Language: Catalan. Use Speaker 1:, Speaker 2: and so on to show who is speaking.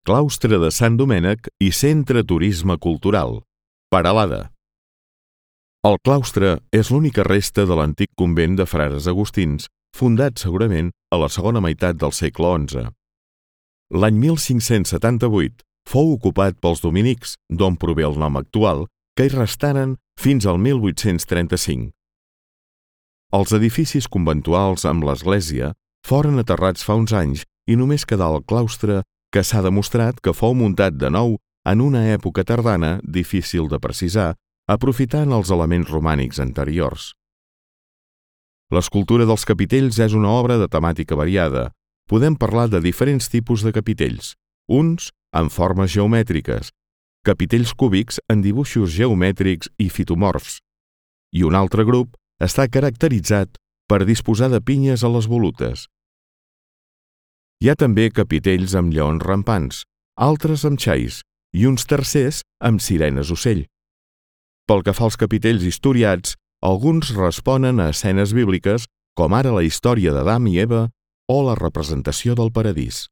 Speaker 1: Claustre de Sant Domènec i Centre Turisme Cultural, Peralada. El claustre és l'única resta de l'antic convent de frares agustins, fundat segurament a la segona meitat del segle XI. L'any 1578 fou ocupat pels dominics, d'on prové el nom actual, que hi restaren fins al 1835. Els edificis conventuals amb l'església foren aterrats fa uns anys i només quedà el claustre, que s'ha demostrat que fou muntat de nou en una època tardana difícil de precisar, aprofitant els elements romànics anteriors. L'escultura dels capitells és una obra de temàtica variada. Podem parlar de diferents tipus de capitells, uns en formes geomètriques, capitells cúbics en dibuixos geomètrics i fitomorfs, i un altre grup està caracteritzat per disposar de pinyes a les volutes. Hi ha també capitells amb lleons rampants, altres amb xais i uns tercers amb sirenes ocell. Pel que fa als capitells historiats, alguns responen a escenes bíbliques, com ara la història d'Adam i Eva o la representació del paradís.